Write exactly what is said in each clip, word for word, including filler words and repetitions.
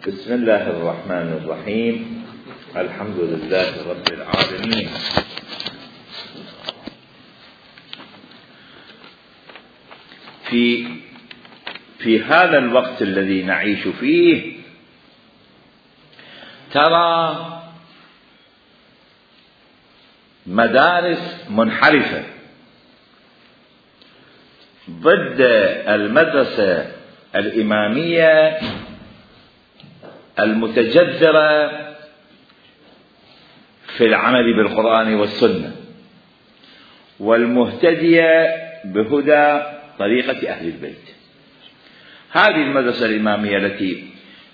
بسم الله الرحمن الرحيم. الحمد لله رب العالمين. في في هذا الوقت الذي نعيش فيه ترى مدارس منحرفة ضد المدرسة الإمامية المتجذرة في العمل بالقرآن والسنة والمهتدية بهدى طريقة أهل البيت. هذه المدرسة الإمامية التي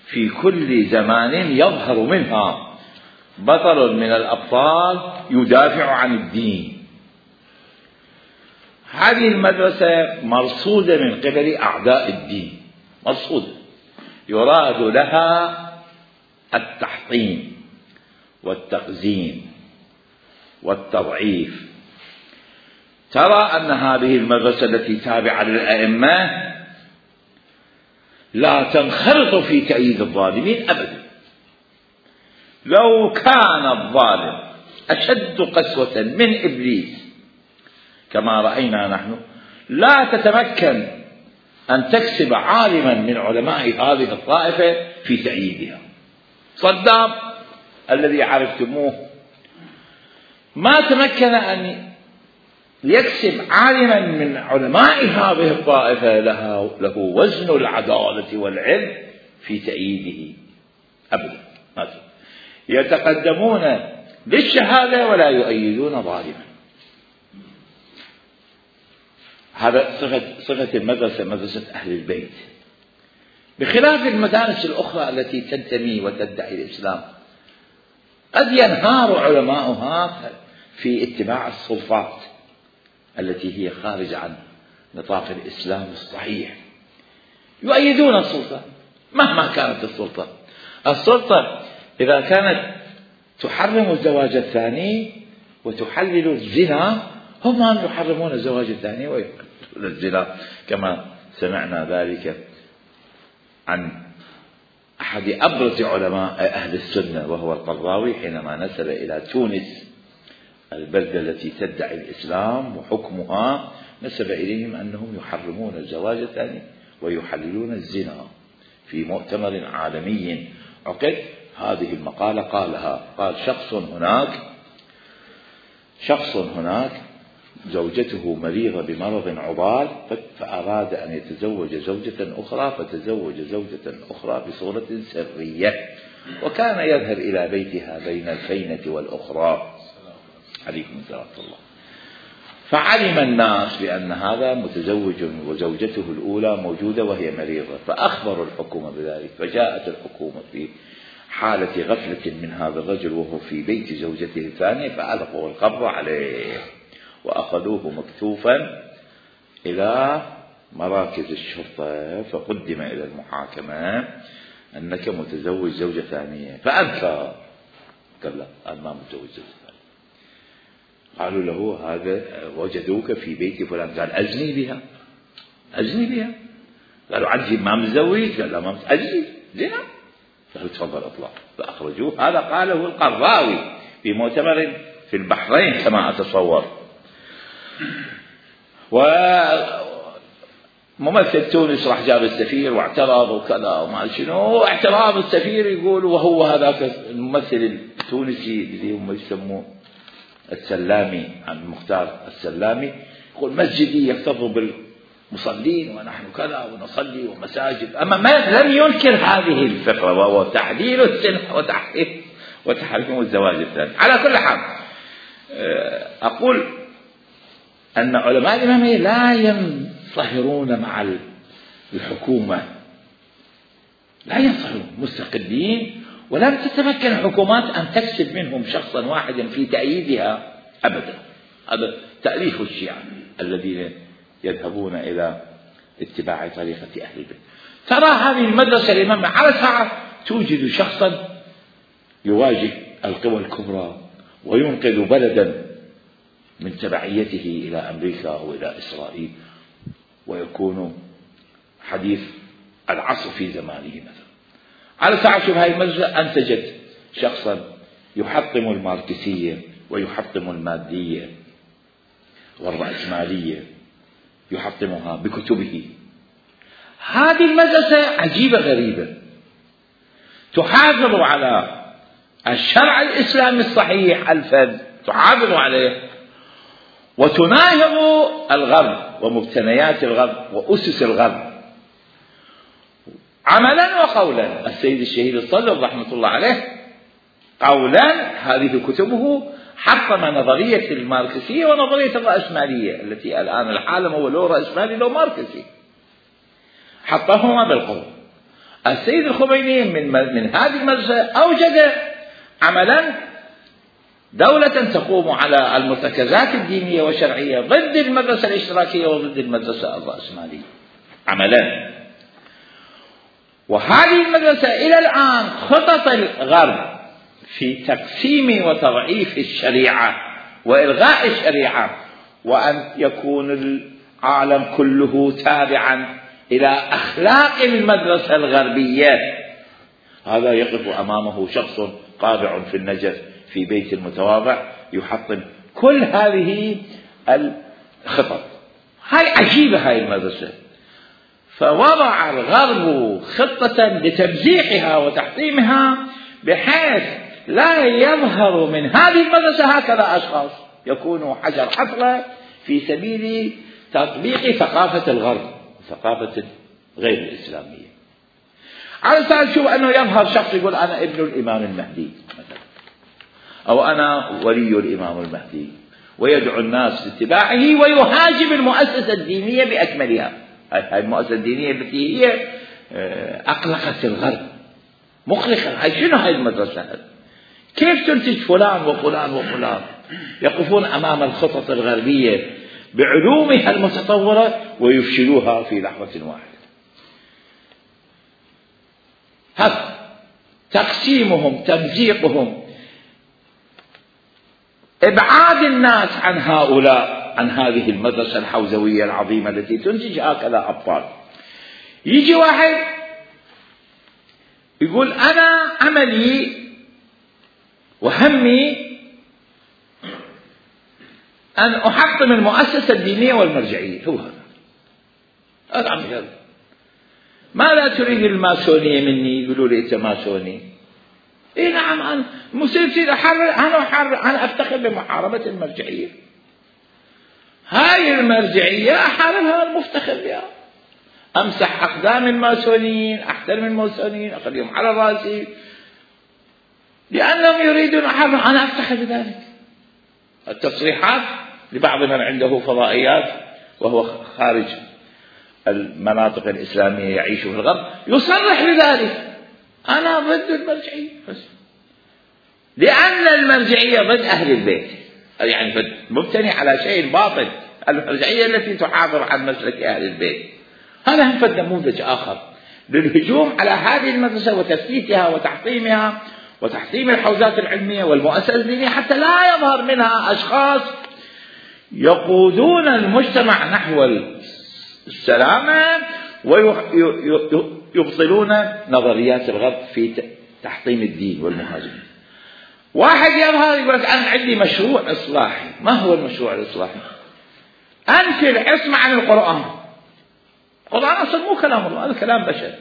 في كل زمان يظهر منها بطل من الأبطال يدافع عن الدين. هذه المدرسة مرصودة من قبل أعداء الدين، مرصودة يراد لها التحطيم والتقزيم والتضعيف. ترى أن هذه المدرسة التي تابعة للأئمة لا تنخرط في تأييد الظالمين أبدا. لو كان الظالم أشد قسوة من إبليس كما رأينا نحن لا تتمكن أن تكسب عالما من علماء هذه الطائفة في تأييدها. صدام الذي عرفتموه ما تمكن أن يكسب عالما من علماء هذه الطائفة له, له وزن العدالة والعلم في تأييده أبدا. يتقدمون بالشهادة ولا يؤيدون ظالما. هذا صفة, صفة المدرسة، مدرسة أهل البيت، بخلاف المدارس الأخرى التي تنتمي وتدعي الإسلام. قد ينهار علماؤها في اتباع السلطات التي هي خارج عن نطاق الإسلام الصحيح، يؤيدون السلطة مهما كانت السلطة. السلطة إذا كانت تحرم الزواج الثاني وتحلل الزنا، هم يحرمون الزواج الثاني ويحللون الزنا، كما سمعنا ذلك عن أحد أبرز علماء أهل السنة وهو القرضاوي حينما نزل إلى تونس البلدة التي تدعي الإسلام وحكمها، نسب إليهم أنهم يحرمون الزواج الثاني ويحللون الزنا. في مؤتمر عالمي عقد هذه المقالة قالها، قال شخص هناك شخص هناك زوجته مريضة بمرض عضال فأراد أن يتزوج زوجة أخرى، فتزوج زوجة أخرى بصورة سرية، وكان يذهب إلى بيتها بين الفينة والأخرى. عليكم السلام الله. فعلم الناس بأن هذا متزوج وزوجته الأولى موجودة وهي مريضة، فأخبروا الحكومة بذلك، فجاءت الحكومة في حالة غفلة من هذا الرجل وهو في بيت زوجته الثانية، فألقوا القبض عليه وأخذوه مكتوفا إلى مراكز الشرطة، فقدم إلى المحاكمة أنك متزوج زوجة ثانية، فأنكر، قال لا أنا ما متزوج زوجة ثانية. قالوا له هذا وجدوك في بيت فلان، قال أزني بها أزني بها. قالوا عندي ما متزوج، قال لا ما أزني زنا. قالوا تفضل اطلع، فأخرجوه. هذا قاله القرضاوي في مؤتمر في البحرين كما أتصور. وممثل تونس راح جاب السفير واعترض وكذا وما شنو، اعتراض السفير يقول، وهو هذاك الممثل التونسي اللي هم يسموه السلامي، عن مختار السلامي، يقول مسجدي يكتظ بالمصلين ونحن كذا ونصلي ومساجد. أما ما لم ينكر هذه الفكرة وهو تحليل السنة وتحريم وتحريم الزواج الثاني. على كل حال أقول أن علماء الإمامية لا ينصهرون مع الحكومة، لا ينصهرون، مستقلين، ولم تتمكن الحكومات أن تكسب منهم شخصا واحدا في تأييدها أبدا. هذا تأليف الشيعة الذين يذهبون إلى اتباع طريقة أهل البيت. ترى هذه المدرسة الإمامية على ساعة توجد شخصا يواجه القوى الكبرى وينقذ بلدا من تبعيته إلى أمريكا وإلى إسرائيل، ويكون حديث العصر في زمانه مثلا. على ساعة شوف هاي المدرسة أنتجت شخصا يحطم الماركسية ويحطم المادية والرأسمالية، يحطمها بكتبه. هذه المدرسة عجيبة غريبة، تحافظ على الشرع الإسلامي الصحيح الفذ، تحافظ عليه وتناهض الغرب ومبتنيات الغرب وأسس الغرب عملا وقولا. السيد الشهيد الصدر رحمة الله عليه قولا هذه كتبه حطم نظرية الماركسية ونظرية الرأسمالية التي الآن العالم هو لو رأسمالي لو ماركسي، حطهما بالقول. السيد الخميني من, من هذه المدرسة أوجد عملا دولة تقوم على المرتكزات الدينية والشرعية ضد المدرسة الاشتراكية وضد المدرسة الرأسمالية عملا. وهذه المدرسة إلى الآن خطط الغرب في تقسيم وتضعيف الشريعة وإلغاء الشريعة وأن يكون العالم كله تابعا إلى أخلاق المدرسة الغربية. هذا يقف أمامه شخص قابع في النجف في بيت المتواضع يحطم كل هذه الخطط. هاي عجيبة هاي المدرسة. فوضع الغرب خطة لتمزيحها وتحطيمها بحيث لا يظهر من هذه المدرسة هكذا أشخاص يكونوا حجر حصرة في سبيل تطبيق ثقافة الغرب، ثقافة غير الإسلامية. على سبيل شوف أنه يظهر شخص يقول أنا ابن الإمام المهدي مثلا، أو أنا ولي الإمام المهدي، ويدعو الناس لاتباعه ويهاجم المؤسسة الدينية بأكملها. هاي المؤسسة الدينية التي هي أقلقت الغرب، مقلقة. هاي شنو هاي المدرسة؟ كيف تنتج فلان وفلان وفلان يقفون أمام الخطط الغربية بعلومها المتطورة ويفشلوها في لحظة واحدة؟ هذا تقسيمهم، تمزيقهم، إبعاد الناس عن هؤلاء، عن هذه المدرسة الحوزوية العظيمة التي تنتج هكذا أبطال. يجي واحد يقول أنا عملي وهمي أن أحطم المؤسسة الدينية والمرجعية. هو هذا هذا عم يقول ماذا تريد الماسونية مني؟ يقولوا لي أنت ماسوني. إيه نعم، أنا مسلسل أحرر، أنا أحرر، أنا أفتخر بمحاربة المرجعية. هاي المرجعية أحاربها المفتخر بها، أمسح أقدام الماسونيين، أحترم الماسونيين، أخليهم على رأسي لأنهم يريدون أحرر، أنا أفتخر بذلك. التصريحات لبعض من عنده فضائيات وهو خارج المناطق الإسلامية يعيش في الغرب يصرح بذلك، أنا ضد المرجعية لأن المرجعية ضد أهل البيت، يعني مبتني على شيء باطل. المرجعية التي تحافظ عن مسلك أهل البيت. هذا هم فد نموذج آخر للهجوم على هذه المدرسة وتثبيتها وتحطيمها وتحطيم الحوزات العلمية والمؤسسة الدينية حتى لا يظهر منها أشخاص يقودون المجتمع نحو السلامة ويبطلون نظريات الغرب في تحطيم الدين والمهاجمين. واحد يظهر يقول لك أنا عندي مشروع إصلاحي. ما هو المشروع الإصلاحي؟ أنفي العصمة عن القرآن. القرآن أصلا مو كلام الله، هذا كلام بشر.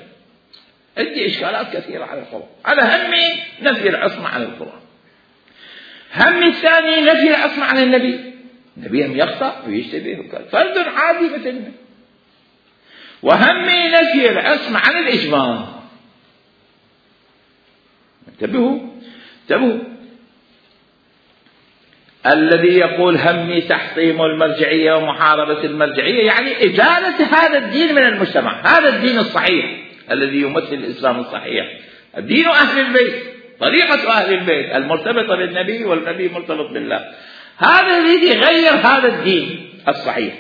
عندي إشكالات كثيرة على القرآن. أنا همي نفي العصمة عن القرآن. همي الثاني نفي العصمة عن النبي. النبي هم يخطأ ويشتبه وكذا، فرد عادي مثلنا. وهمي نفي العصمة عن الإجماع. انتبهوا انتبهوا الذي يقول همي تحطيم المرجعية ومحاربة المرجعية يعني إزالة هذا الدين من المجتمع. هذا الدين الصحيح الذي يمثل الإسلام الصحيح، الدين أهل البيت، طريقة أهل البيت المرتبطة بالنبي والنبي مرتبط بالله. هذا الذي يغير هذا الدين الصحيح،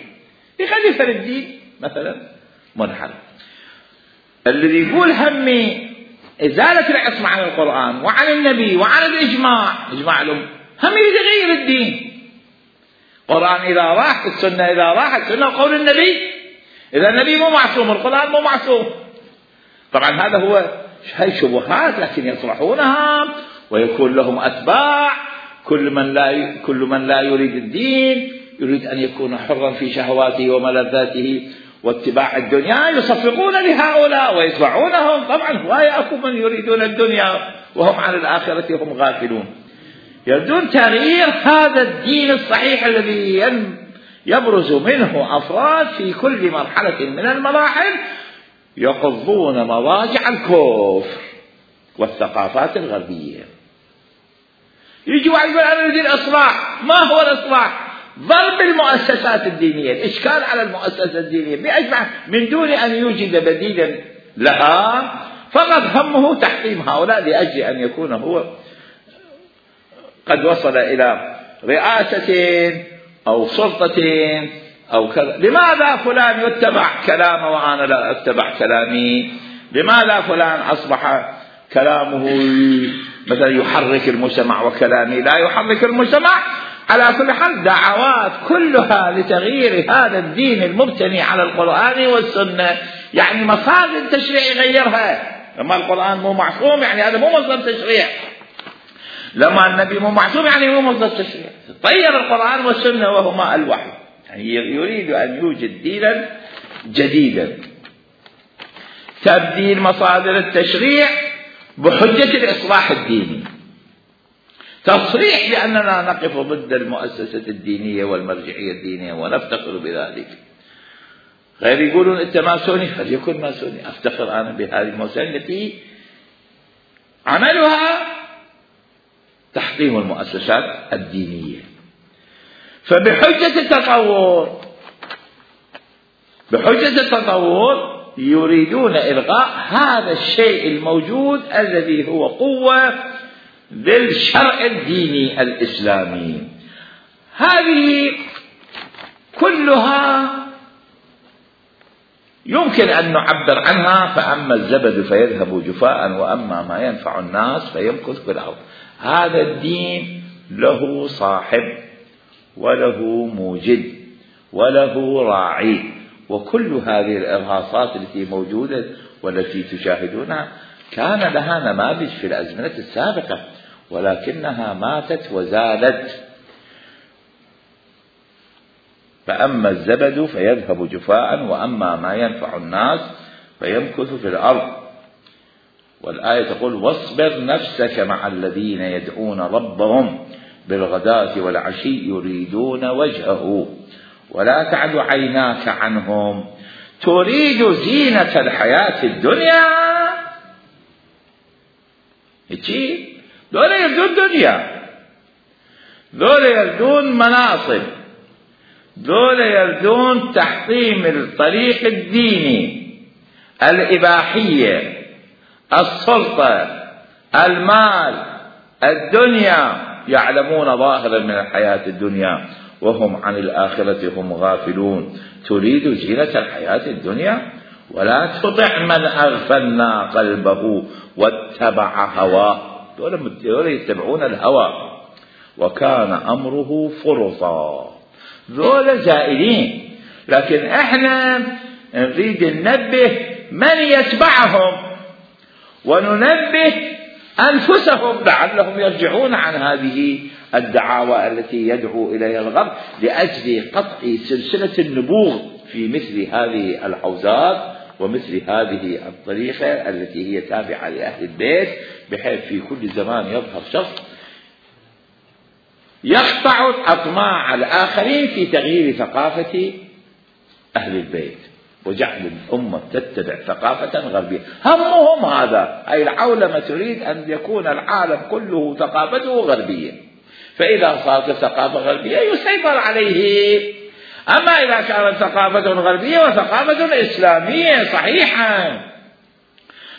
يخلي فرد الدين مثلا منحرف. الذي يقول همي إزالة العصمة عن القرآن وعن النبي وعن الإجماع، إجماع الأمة، هم يغير الدين. القرآن إذا راح، السنة إذا راحت، السنة قول النبي. إذا النبي مو معصوم، القرآن مو معصوم. طبعا هذا هو هاي شبهات لكن يطرحونها ويكون لهم أتباع. كل من لا كل من لا يريد الدين يريد أن يكون حرا في شهواته وملذاته واتباع الدنيا، يصفقون لهؤلاء ويتبعونهم. طبعا هواية أكو من يريدون الدنيا وهم عن الآخرة هم غافلون. يريدون تغيير هذا الدين الصحيح الذي يبرز منه أفراد في كل مرحلة من المراحل يقضون مضاجع الكفر والثقافات الغربية. يجي واحد يقول أنا أريد الإصلاح. ما هو الإصلاح؟ ضرب المؤسسات الدينية، الإشكال على المؤسسة الدينية بأجمع من دون أن يوجد بديلا لها، فقط همه تحطيم هؤلاء لأجل أن يكون هو قد وصل إلى رئاسة أو سلطة أو كذا. لماذا فلان يتبع كلامه وأنا لا أتبع كلامي؟ لماذا فلان أصبح كلامه مثلا يحرك المجتمع وكلامي لا يحرك المجتمع؟ على كل حال دعوات كلها لتغيير هذا الدين المبتني على القرآن والسنة. يعني مصادر التشريع يغيرها. لما القرآن مو معصوم يعني هذا مو مصدر تشريع، لما النبي مو معصوم يعني مو مصدر تشريع. طير القرآن والسنة وهما الوحي. يعني يريد أن يوجد دينا جديدا. تبديل مصادر التشريع بحجة الإصلاح الديني، تصريح بأننا نقف ضد المؤسسة الدينية والمرجعية الدينية ونفتخر بذلك. غير يقولون أنت ماسوني، فليكن ماسوني. أفتخر أنا بهذه المؤسسة التي عملها تحطيم المؤسسات الدينية. فبحجة التطور بحجة التطور يريدون إلغاء هذا الشيء الموجود الذي هو قوة للشرع الديني الإسلامي. هذه كلها يمكن أن نعبر عنها. فأما الزبد فيذهب جفاء وأما ما ينفع الناس فيمكث في الأرض. هذا الدين له صاحب وله موجد وله راعي. وكل هذه الإرهاصات التي موجودة والتي تشاهدونها كان لها نماذج في الأزمنة السابقة ولكنها ماتت وزالت. فأما الزبد فيذهب جفاء وأما ما ينفع الناس فيمكث في الأرض. والآية تقول واصبر نفسك مع الذين يدعون ربهم بالغداة والعشي يريدون وجهه ولا تعد عيناك عنهم تريد زينة الحياة الدنيا. هيك دول يردون دنيا، دول يردون مناصب، دول يردون تحطيم الطريق الديني، الإباحية، السلطة، المال، الدنيا. يعلمون ظاهرا من الحياة الدنيا وهم عن الآخرة هم غافلون. تريد زينة الحياة الدنيا ولا تطع من أغفلنا قلبه واتبع هواه. دول يتبعون الهوى وكان أمره فرطا. دول زائلين. لكن احنا نريد ننبه من يتبعهم وننبه أنفسهم لعلهم يرجعون عن هذه الدعاوى التي يدعو إليها الغرب لأجل قطع سلسلة النبوغ في مثل هذه الحوزات ومثل هذه الطريقة التي هي تابعة لأهل البيت، بحيث في كل زمان يظهر شخص يقطع أطماع الآخرين في تغيير ثقافة أهل البيت وجعل الأمة تتبع ثقافة غربية. همهم هذا. أي العولمة تريد أن يكون العالم كله ثقافته غربية، فإذا صارت ثقافة غربية يسيطر عليه. أما إذا كانت ثقافة غربية وثقافة إسلامية صحيحة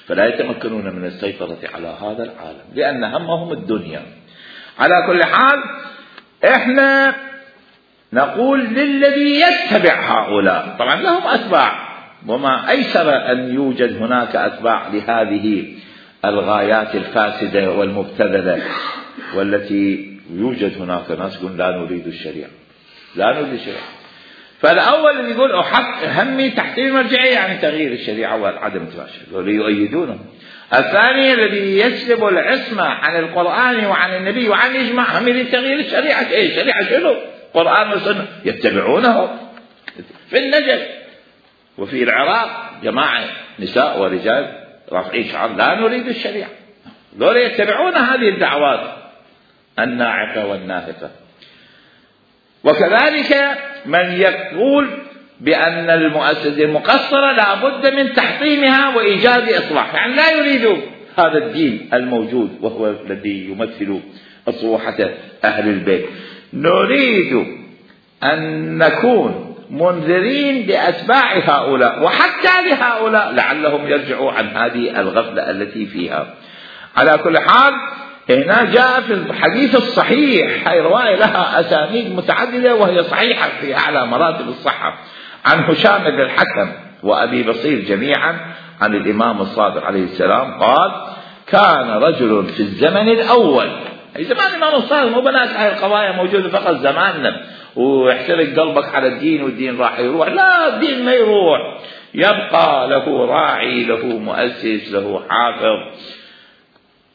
فلا يتمكنون من السيطرة على هذا العالم لأن همهم الدنيا. على كل حال إحنا نقول للذي يتبع هؤلاء، طبعا لهم أتباع، وما أيسر أن يوجد هناك أتباع لهذه الغايات الفاسدة والمبتذلة، والتي يوجد هناك ناس يقول لا نريد الشريعة، لا نريد الشريعة. فالأول اللي يقول أحق همي تحتيم المرجعية يعني تغيير الشريعة وعدم التباشر يؤيدونه. الثاني الذي يسلب العصمة عن القرآن وعن النبي وعن الإجماع هم اللي تغيير الشريعة. إيه الشريعة شنو؟ قرآن وسنة يتبعونه في النجف وفي العراق جماعة نساء ورجال رافعين شعار لا نريد الشريعة، دول يتبعون هذه الدعوات الناعقة والناهقة. وكذلك من يقول بأن المؤسسة المقصرة لا بد من تحطيمها وإيجاد إصلاح، يعني لا يريد هذا الدين الموجود وهو الذي يمثل أصوحة أهل البيت. نريد أن نكون منذرين لأتباع هؤلاء وحتى لهؤلاء لعلهم يرجعوا عن هذه الغفلة التي فيها. على كل حال هنا جاء في الحديث الصحيح، هي رواية لها أسانيد متعددة وهي صحيحة في أعلى مراتب الصحة، عن هشام بن الحكم وأبي بصير جميعا عن الإمام الصادق عليه السلام قال: كان رجل في الزمن الأول، أي زمان الإمام الصادق، مو بنات هاي القضايا موجودة فقط زماننا ويحترق قلبك على الدين والدين راح يروح، لا الدين ما يروح، يبقى له راعي، له مؤسس، له حافظ،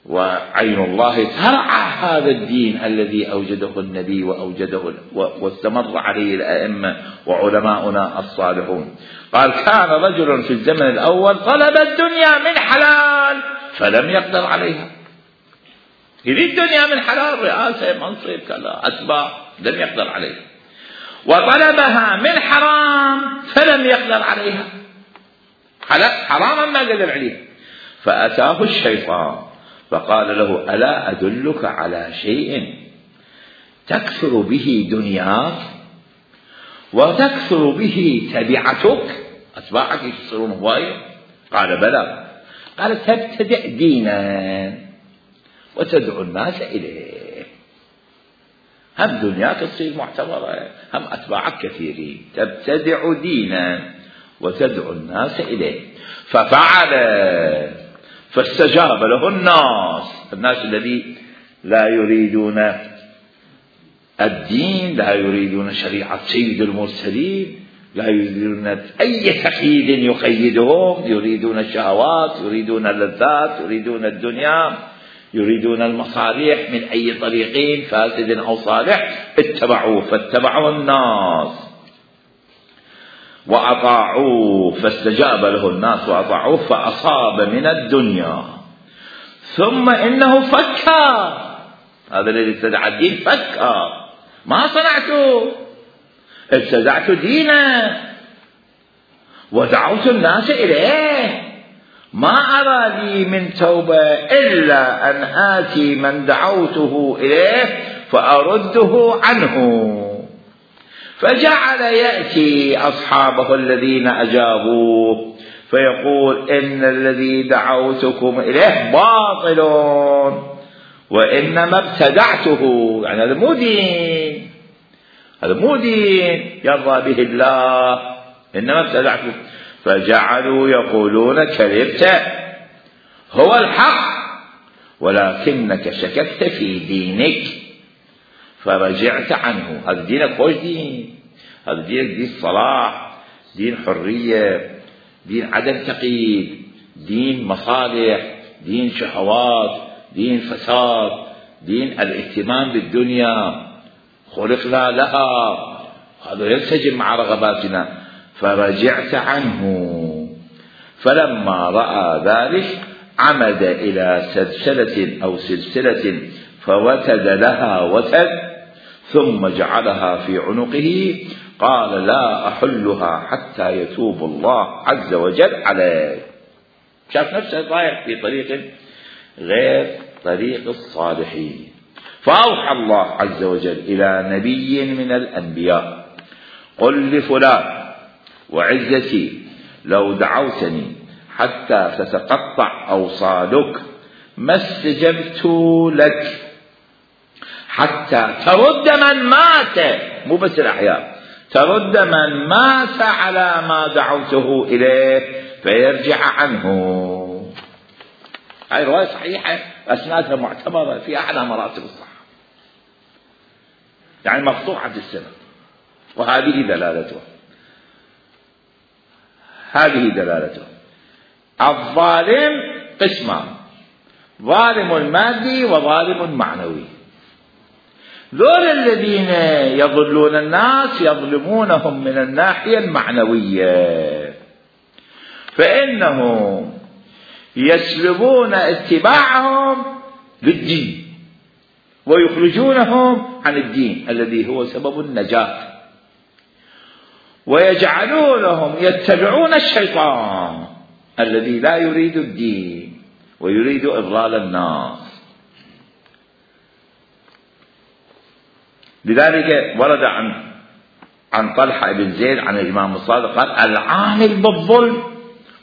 وعين الله ترعى هذا الدين الذي أوجده النبي وأوجده واستمر عليه الأئمة وعلماؤنا الصالحون. قال: كان رجل في الزمن الأول طلب الدنيا من حلال فلم يقدر عليها، يريد الدنيا من حلال، رئاسة، منصب، كذا، أتباع، لم يقدر عليها. وطلبها من حرام فلم يقدر عليها، حراما ما قدر عليها. فأتاه الشيطان فقال له: ألا أدلك على شيء تكثر به دنياك وتكثر به تبعتك، أتباعك يصيرون هواية؟ قال: بلى. قال: تبتدع دينا وتدعو الناس إليه، هم دنياك تصير معتبرة، هم أتباعك كثيرين، تبتدع دينا وتدعو الناس إليه. ففعل، فاستجاب له الناس، الناس الذي لا يريدون الدين، لا يريدون شريعة سيد المرسلين، لا يريدون أي تقييد يقيدهم، يريدون الشهوات، يريدون اللذات، يريدون الدنيا، يريدون المصالح من أي طريقين فاسد أو صالح، اتبعوه. فاتبعوا الناس وأطاعوه، فاستجاب له الناس وأطاعوه فأصاب من الدنيا. ثم إنه فكر، هذا الذي ابتدع الدين فكر، ما صنعته، ابتدعت دينا ودعوت الناس إليه، ما أرى لي من توبة إلا أن آتي من دعوته إليه فأرده عنه. فجعل يأتي أصحابه الذين أجابوه فيقول: إن الذي دعوتكم إليه باطل وإنما ابتدعته، يعني هذا مو دين، هذا مو دين يرضى به الله، إنما ابتدعته. فجعلوا يقولون: كذبت، هو الحق ولكنك شككت في دينك فرجعت عنه. هذا دينك خوش دين، هذا دينك دين صلاح، دين حرية، دين عدم تقييد، دين مصالح، دين شهوات، دين فساد، دين الاهتمام بالدنيا، خلقنا لها، هذا ينسجم مع رغباتنا. فرجعت عنه. فلما رأى ذلك عمد إلى سلسلة أو سلسلة فوتد لها وتد ثم جعلها في عنقه، قال: لا أحلها حتى يتوب الله عز وجل عليه. شاف نفسه رايح في طريق غير طريق الصالحين. فأوحى الله عز وجل إلى نبي من الأنبياء: قل لفلان وعزتي لو دعوتني حتى تتقطع أوصالك ما استجبت لك حتى ترد من مات، مو بس الأحياء، ترد من مات على ما دعوته إليه فيرجع عنه. هاي رواية صحيحة، أسنادها معتبرة في أعلى مراتب الصحة، يعني مقطوعة السنة، وهذه دلالتها. هذه دلالته. الظالم قسمان: ظالم مادي وظالم معنوي. ذول الذين يضلون الناس يظلمونهم من الناحية المعنوية، فإنهم يسلبون اتباعهم للدين ويخرجونهم عن الدين الذي هو سبب النجاة، ويجعلونهم يتبعون الشيطان الذي لا يريد الدين ويريد إضلال الناس. لذلك ورد عن عن طلحة بن زيد عن الإمام الصادق قال: العامل بالظلم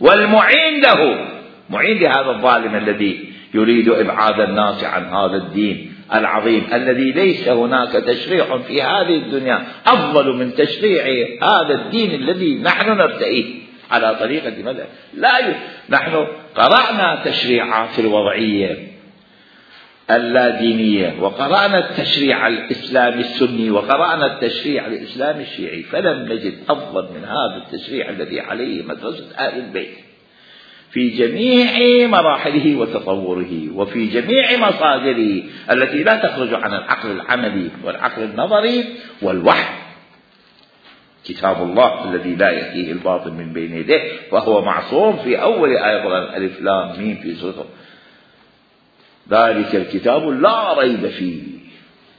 والمعين له، معين لهذا الظالم الذي يريد إبعاد الناس عن هذا الدين العظيم الذي ليس هناك تشريع في هذه الدنيا أفضل من تشريع هذا الدين الذي نحن نرتئيه على طريقة ماذا؟ لا ي... نحن قرأنا تشريعات الوضعية اللادينية، وقرأنا التشريع الإسلامي السني، وقرأنا التشريع الإسلامي الشيعي، فلم نجد أفضل من هذا التشريع الذي عليه مدرسة آل البيت في جميع مراحله وتطوره وفي جميع مصادره التي لا تخرج عن العقل العملي والعقل النظري والوحي. كتاب الله الذي لا يأتيه الباطل من بين يديه وهو معصوم في أول آية ألف لام ميم في سورة ذلك الكتاب لا ريب فيه،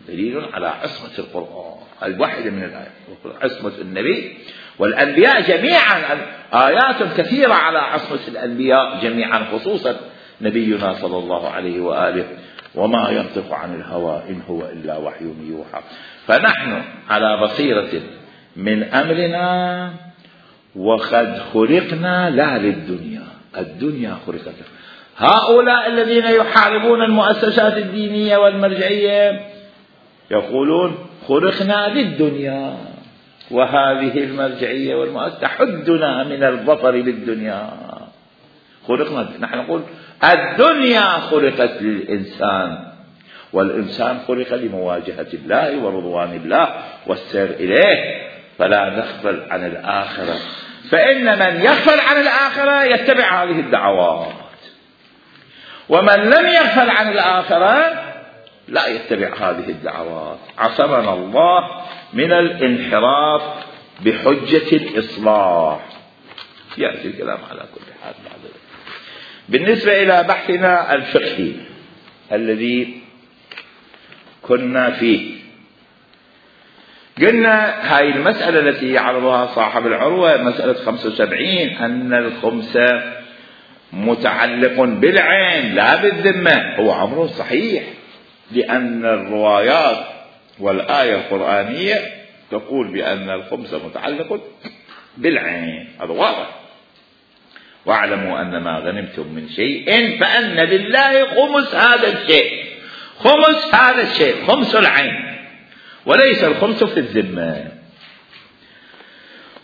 دليل على عصمة القرآن الواحدة من الآيات، عصمة النبي والأنبياء جميعا، آيات كثيرة على عصمة الأنبياء جميعا، خصوصا نبينا صلى الله عليه وآله: وما ينطق عن الهوى إن هو إلا وحي يوحى. فنحن على بصيرة من أمرنا، وقد خلقنا لا للدنيا، الدنيا خلقت. هؤلاء الذين يحاربون المؤسسات الدينية والمرجعية يقولون خلقنا للدنيا، وهذه المرجعية والمؤسسة تحدنا من الظفر للدنيا. خلقنا، نحن نقول الدنيا خلقت للإنسان، والإنسان خلق لمواجهة الله ورضوان الله والسير إليه، فلا نغفل عن الآخرة. فإن من يغفل عن الآخرة يتبع هذه الدعوات، ومن لم يغفل عن الآخرة لا يتبع هذه الدعوات. عصمنا الله من الانحراف بحجة الإصلاح. يأتي الكلام على كل حال. بالنسبة إلى بحثنا الفقهي الذي كنا فيه، قلنا هاي المسألة التي يعرضها صاحب العروة، مسألة خمسة وسبعين، أن الخمس متعلق بالعين لا بالذمة. هو أمر صحيح، لأن الروايات والآية القرآنية تقول بأن الخمس متعلق بالعين، هذا واضح. واعلموا أن ما غنمتم من شيء فأن لله خمس هذا الشيء، خمس هذا الشيء خمس العين، وليس الخمس في الذمة.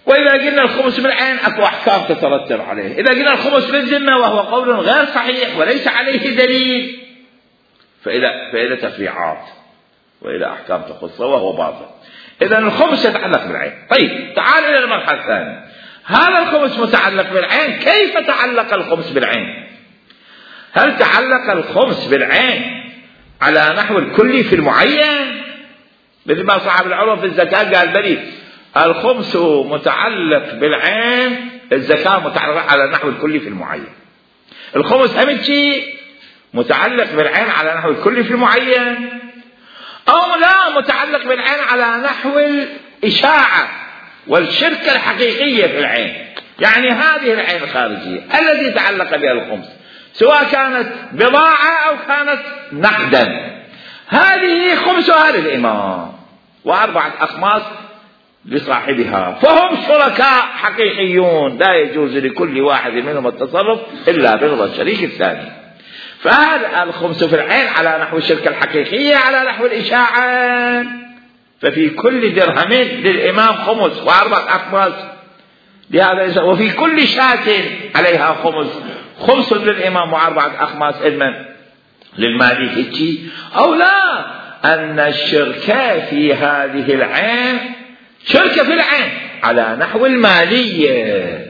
وإذا قلنا الخمس بالعين أكو أحكام تترتب عليه. إذا قلنا الخمس بالذمة وهو قول غير صحيح وليس عليه دليل، فإلى فإلى تفريعات وإلى أحكام تخصه وهو باطل. إذا الخمس يتعلق بالعين. طيب تعال إلى المرحلة الثانية. هذا الخمس متعلق بالعين، كيف تعلق الخمس بالعين؟ هل تعلق الخمس بالعين على نحو الكلي في المعين، مثل ما صاحب العروة في الزكاة قال بلي الخمس متعلق بالعين، الزكاة متعلقة على نحو الكلي في المعين. الخمس هم شيء متعلق بالعين على نحو الكلي في المعين، أو لا متعلق بالعين على نحو الإشاعة والشركة الحقيقية في العين. يعني هذه العين الخارجية التي تعلق بها الخمس، سواء كانت بضاعة أو كانت نقدا، هذه خمسها للإمام وأربعة أخماس لصاحبها، فهم شركاء حقيقيون، لا يجوز لكل واحد منهم التصرف إلا برضا الشريك الثاني. فهذا الخمس في العين على نحو الشركة الحقيقية على نحو الإشاعة، ففي كل درهم للإمام خمس وأربعة أخماس لهذا، وفي كل شاة عليها خمس، خمس للإمام وأربعة أخماس إلمن للمالك. أو لا، أن الشركة في هذه العين شركة في العين على نحو المالية،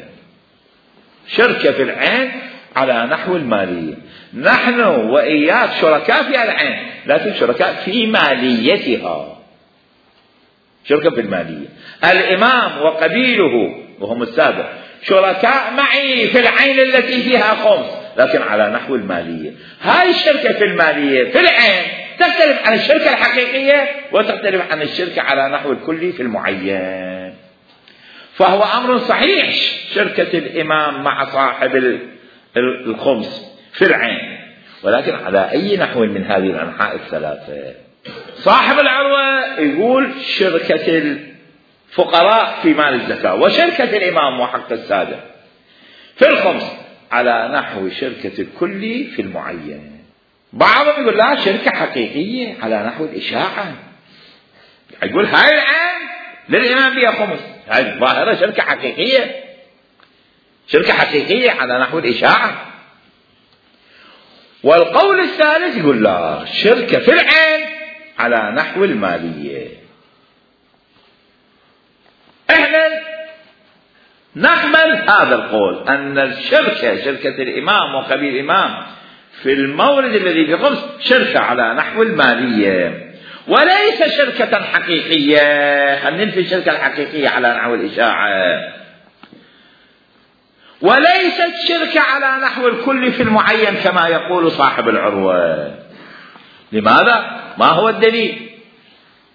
شركة في العين على نحو المالية. نحن وإياك شركاء في العين لكن شركاء في ماليتها، شركة في المالية. الإمام وقبيله وهم السادة شركاء معي في العين التي فيها خمس لكن على نحو المالية. هاي الشركة في المالية في العين تختلف عن الشركة الحقيقية وتختلف عن الشركة على نحو الكلي في المعين. فهو أمر صحيح شركة الإمام مع صاحب الخمس في العين، ولكن على أي نحو من هذه الأنحاء الثلاثة. صاحب العروة يقول شركة الفقراء في مال الزكاة وشركة الإمام وحق السادة في الخمس على نحو شركة الكلي في المعين. بعضهم يقول لا شركة حقيقية على نحو الإشاعة، يقول هاي العين للإمام بها خمس، هاي الظاهرة شركة حقيقية، شركة حقيقية على نحو الإشاعة. والقول الثالث يقول لا شركة في العين على نحو المالية. احنا نقبل هذا القول أن الشركة شركة الإمام وقبيل الإمام في المورد الذي في خمس شركة على نحو المالية وليس شركة حقيقية. أن ننفي الشركة الحقيقية على نحو الإشاعة، وليست شركة على نحو الكل في المعين كما يقول صاحب العروة. لماذا؟ ما هو الدليل؟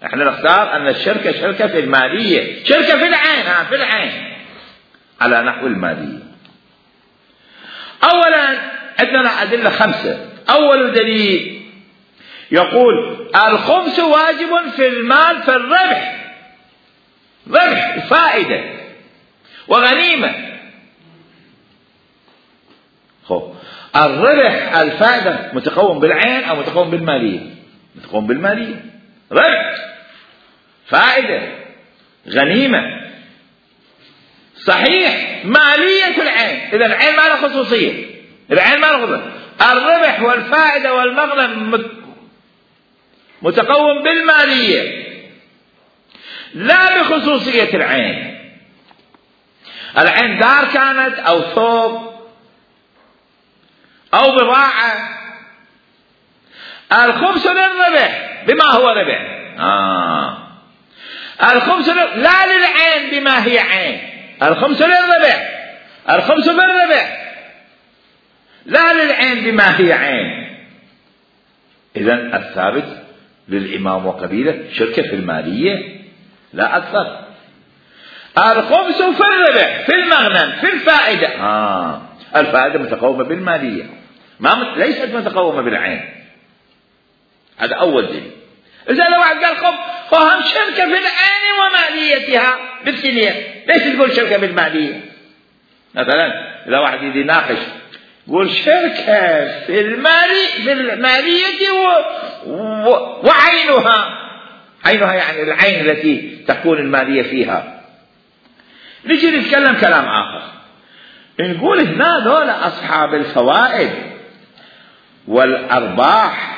احنا نختار أن الشركة شركة في المالية، شركة في العين، ها في العين على نحو المالية. أولا عندنا أدلة خمسة. أول دليل يقول الخمس واجب في المال في الربح، ربح فائدة وغنيمة. خب الربح الفائدة متقوم بالعين أو متقوم بالمالية؟ متقوم بالمالية. ربح فائدة غنيمة صحيح مالية العين. إذا العين ما له خصوصية، العين ما له خصوصية. الربح والفائدة والمغنم متقوم بالمالية لا بخصوصية العين. العين دار كانت أو ثوب أو بضاعة. الخمس للربح بما هو ربح. آه. الخمس لا للعين بما هي عين. الخمس للربح، الخمس بالربح لا للعين بما هي عين. إذن الثابت للإمام وقبيله شركة في المالية لا أكثر. الخمس في الربح في المغنم في الفائدة. آه. الفائدة متقومة بالمالية ما ليست متقومة بالعين. هذا أول دليل. إذا لو واحد قال خب فهم شركة في العين وماليتها بالسنية، ليش تقول شركة بالمالية؟ مثلا إذا واحد يجي يناقش يقول شركة في المالي في المالية و... و... وعينها، عينها يعني العين التي تكون المالية فيها. نجي نتكلم كلام آخر نقول هنا دولة أصحاب الفوائد والأرباح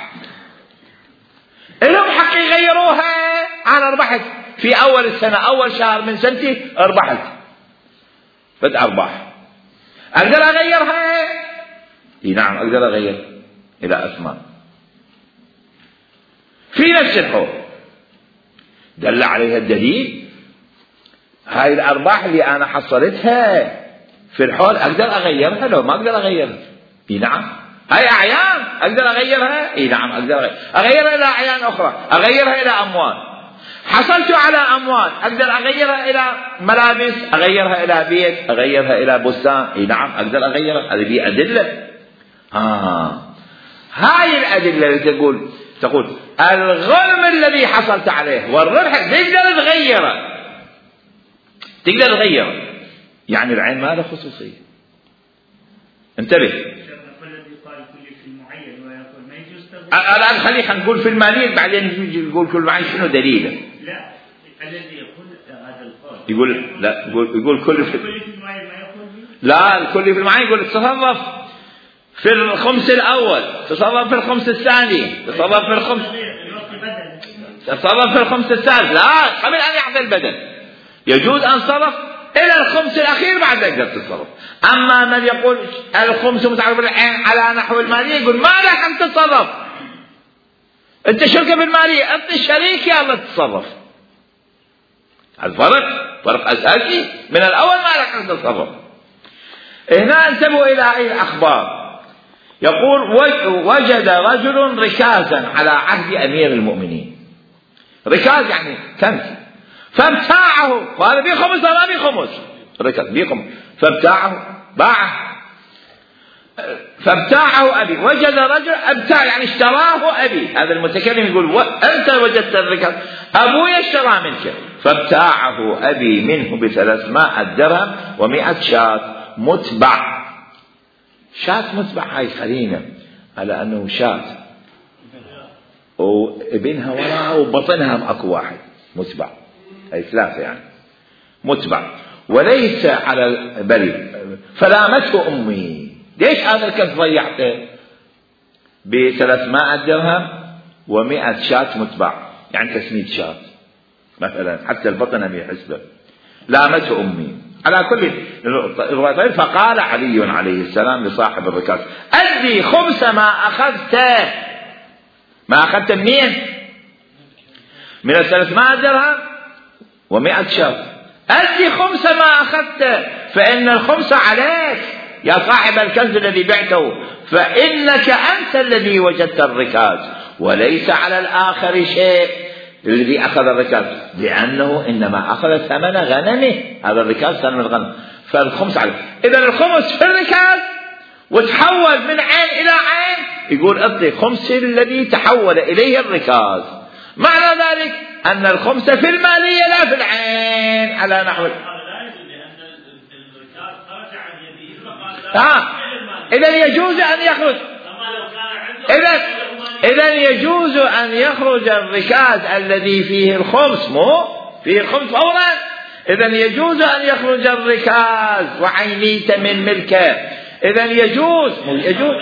لهم حق يغيروها. أنا ربحت في أول السنة أول شهر من سنتي ربحت بدأ أرباح، أقدر أغيرها؟ إيه نعم أقدر أغير إلى أثمان في نفس الحول. دل عليها الدليل هاي الأرباح اللي أنا حصلتها في الحول أقدر أغيرها لو ما أقدر أغيرها. إيه نعم هاي أعيان أقدر أغيرها. إيه نعم أقدر أغيرها. أغيرها إلى أعيان أخرى، أغيرها إلى أموال. حصلت على أموال أقدر أغيرها إلى ملابس، أغيرها إلى بيت، أغيرها إلى بستان. إيه نعم أقدر أغيرها. هذه دي أدلة. آه. هاي الأدلة اللي تقول تقول الغنم الذي حصلت عليه والربح تقدر تغيره، تقدر تغيره. يعني العين ما له خصوصية. انتبه. الآن خلينا نقول في المالية بعدين نقول كل معين شنو دليله. لا الذي يقول هذا القول يقول لا يقول يقول كل في المعين ما يقول لا الكل في المعين يقول تصرف في الخمس الأول، تصرف في الخمس الثاني، تصرف في الخمس تصرف في الخمس الثالث. لا قبل أن يحصل البدل يجوز أن صرف إلى الخمس الأخير بعد تقدر تتصرف. أما من يقول الخمس متعلق بالعين على نحو المالية يقول ما لك أن تتصرف، أنت شركة بالمالية، أنت الشريك يا الله تتصرف. الفرق فرق أساسي من الأول، ما لك أن تتصرف. هنا انتبهوا إلى هذه الأخبار. يقول وجد رجل ركازا على عهد أمير المؤمنين. ركاز يعني كنز، فابتاعه، وهذا بيه خمس ولا بيه خمس، ركاز بيه خمس، فابتاعه باعه، فابتاعه أبي. وجد رجل ابتاع يعني اشتراه أبي. هذا المتكلم يقول و... أنت وجدت الركاز، أبوي اشترى منك، فابتاعه أبي منه بثلاثمائة درهم ومائة شاة متبع. شاة متبع هاي قرينة على أنه شاة وابنها وراها وبطنها أكو واحد متبع، هاي ثلاثة يعني متبع، وليس على البري. فلامته أمي، ليش هذا الكنز ضيعته بثلاثمائة درهم ومائة شاة متبع، يعني تسمية شاة مثلا، حتى البطن أمي حسبه. لامته أمي على كل الروايتين. فقال علي عليه السلام لصاحب الركاز أدي خمس ما أخذته. ما أخذته منين؟ من الثلاثمائة درهم ومائة شاة. أدي خمس ما أخذته، فإن الخمس عليك يا صاحب الكنز الذي بعته، فإنك أنت الذي وجدت الركاز، وليس على الآخر شيء الذي أخذ الركاز، لأنه إنما أخذ ثمن غنمه. هذا الركاز ثمن الغنم، فالخمس عليه. إذا الخمس في الركاز وتحول من عين إلى عين، يقول أعطي خمس الذي تحول إليه الركاز. معنى ذلك أن الخمس في المالية لا في العين على نحو. آه. إذا يجوز أن يخرج، إذا إذا يجوز أن يخرج الركاز الذي فيه الخمس، مو فيه الخمس فورا. إذا يجوز أن يخرج الركاز وعينيت من ملكه. إذا يجوز يجوز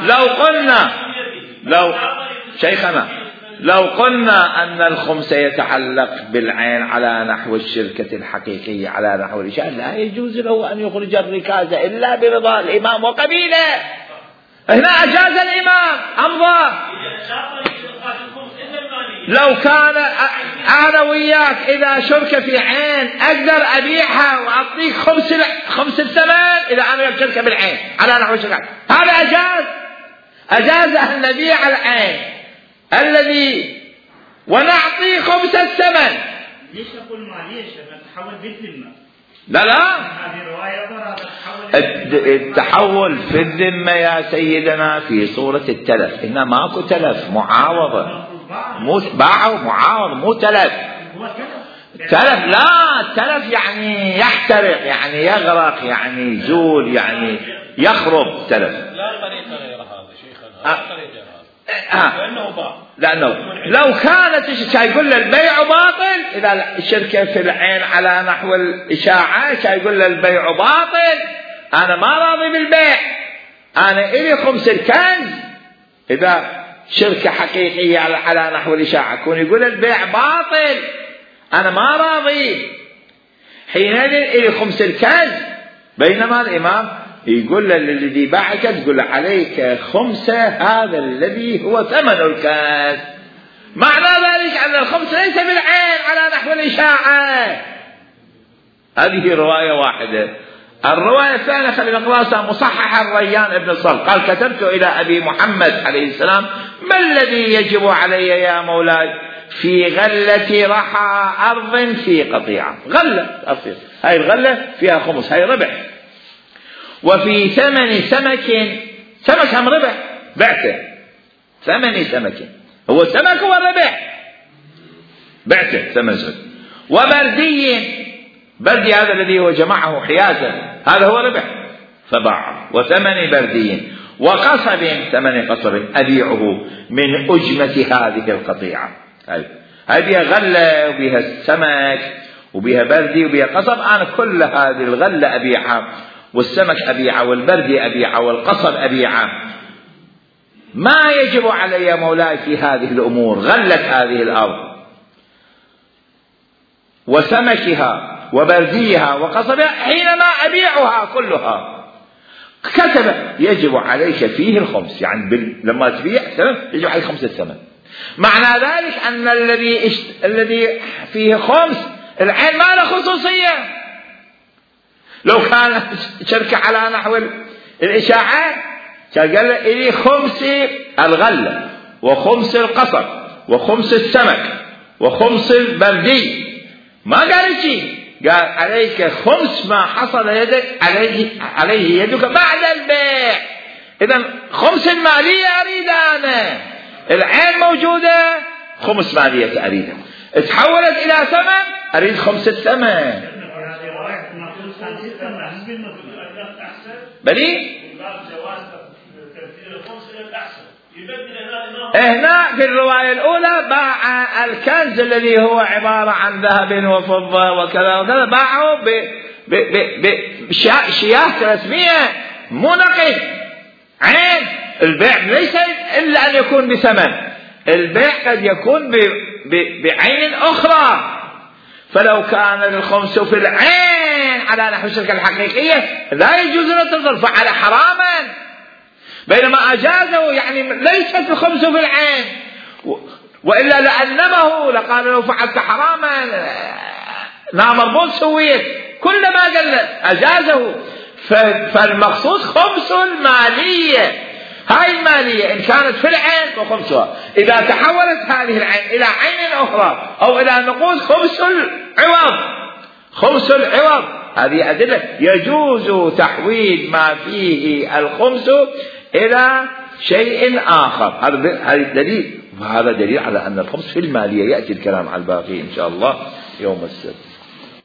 لو قلنا لو شيخنا لو قلنا أن الخمس يتعلق بالعين على نحو الشركة الحقيقية على نحو الإشارة، لا يجوز له أن يخرج الركاز إلا برضا الإمام وقبيله. هنا أجاز الإمام أمضى. لو كان أنا وياك إذا شركة في عين أقدر أبيعها وأعطيك خمس خمس الثمن إذا أنا شركة بالعين على نحو الشركة، هذا أجاز. أجاز أن نبيع العين الذي ونعطي خمس الثمن. ليش تقول مالية تحول بالذمة؟ لا لا، هذه رواية التحول في الذمة يا سيدنا في صورة التلف. هنا ماكو تلف، معاوضة، مو باعوا معاوضة، مو تلف. تلف لا، التلف يعني يحترق، يعني يغرق، يعني يزول، يعني يخرب. تلف لا طريقة غير هذا شيخنا، لا طريقة غير هذا، آه. لأنه باع. لأنه لو كانت يقول له البيع باطل، إذا الشركة في العين على نحو الإشاعة يقول له البيع باطل، أنا ما راضي بالبيع، أنا إلي خمس الكنز. إذا شركة حقيقية على نحو الإشاعة يكون يقول البيع باطل، أنا ما راضي، حينئذ إلي خمس الكنز. بينما الإمام يقول للذي باعك تقول له عليك خمسة هذا الذي هو ثمن الكنز. معنى ذلك أن الخمس ليس بالعين على نحو الإشاعة. هذه رواية واحدة. الرواية الثانية خلينا نقرأها، مصحح الريان ابن الصلب قال كتبت إلى أبي محمد عليه السلام ما الذي يجب علي يا مولاي في غلة رحى أرض في قطيعة. غلة أصير هاي الغلة فيها خمس، هاي ربح. وفي ثمن سمك، سمك هم ربح بعته، ثمن سمك هو السمك هو الربح بعته ثمن سمك. وبردي، بردي هذا الذي هو جمعه حيازا هذا هو ربح فباع. وثمن بردي وقصب، ثمن قصب أبيعه من أجمة هذه القطيعة. هاي هاي بها غلة وبها السمك وبها بردي وبها قصب، أنا كل هذه الغلة أبيعها، والسمك أبيعه والبردي أبيعه والقصب أبيعه. ما يجب علي يا مولاي في هذه الأمور غلة هذه الأرض وسمكها وبرديها وقصبها حينما أبيعها كلها كتب يجب عليك فيه الخمس، يعني لما تبيع يجب عليك خمس الثمن. معنى ذلك أن الذي اشت... الذي فيه خمس العين ما له خصوصية. لو كان شركة على نحو الإشاعات كان قال لي خمس الغلة وخمس القصب وخمس السمك وخمس البردي، ما قال شيء، قال عليك خمس ما حصل يدك عليه عليه يدك بعد البيع. إذا خمس المالية أريد أنا، العين موجودة خمس مالية أريدها، تحولت إلى ثمن أريد خمس الثمن. بلي هنا في الرواية الأولى باع الكنز الذي هو عبارة عن ذهب وفضة وكذا وكذا، باعه بشياه رسمية مو نقد عين. البيع ليس إلا أن يكون بثمن، البيع قد يكون بعين أخرى. فلو كان الخمس في العين على نحو الشركة الحقيقية لا يجوز أن تصرف على حراما، بينما أجازه يعني ليست الخمس في العين، وإلا لأنمه لقال لو فعلت حراما لا مربوط سويت، كل ما قال أجازه. فالمقصود خمس المالية، هاي المالية إن كانت في العين فخمسها، إذا تحولت هذه العين إلى عين أخرى أو إلى نقود خمس العوض، خمس العوض. هذه أدلة يجوز تحويل ما فيه الخمس إلى شيء آخر. هذا دليل، وهذا دليل على أن الخمس في المالية. يأتي الكلام على الباقي إن شاء الله يوم السبت.